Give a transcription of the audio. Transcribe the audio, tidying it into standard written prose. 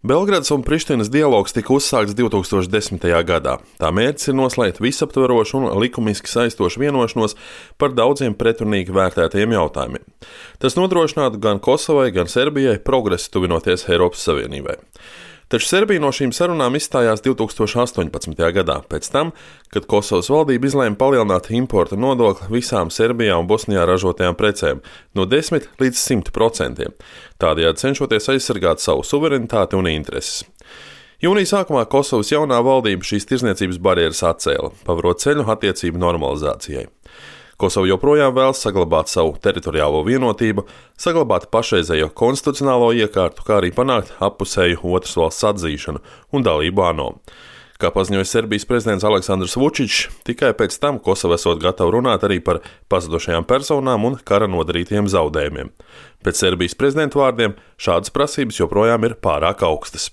Belgradas un Prištinas dialogs tika uzsākts 2010. gadā. Tā mērķis ir noslēgt visaptverošu un likumiski saistošu vienošanos par daudziem pretrunīgi vērtētajiem jautājumiem. Tas nodrošinātu gan Kosovai, gan Serbijai progresu tuvinoties Eiropas Savienībai. Taču Serbija no šīm sarunām izstājās 2018. gadā, pēc tam, kad Kosovas valdība izlēma palielināt importa nodokli visām Serbijā un Bosnijā ražotajām precēm no 10 līdz 100%, tādējādi cenšoties aizsargāt savu suverenitāti un intereses. Jūnija sākumā Kosovas jaunā valdība šīs tirdzniecības barjeras atcēla, pavarot ceļu attiecību normalizācijai. Kosova joprojām vēlas saglabāt savu teritoriālo vienotību, saglabāt pašreizējo konstitucionālo iekārtu, kā arī panākt appusēju otras valsts atzīšanu un dalību ANO. Kā paziņoja Serbijas prezidents Aleksandrs Vučičs, tikai pēc tam Kosova esot gatava runāt arī par pazudušajām personām un kara nodarītiem zaudējumiem. Pēc Serbijas prezidenta vārdiem šādas prasības joprojām ir pārāk augstas.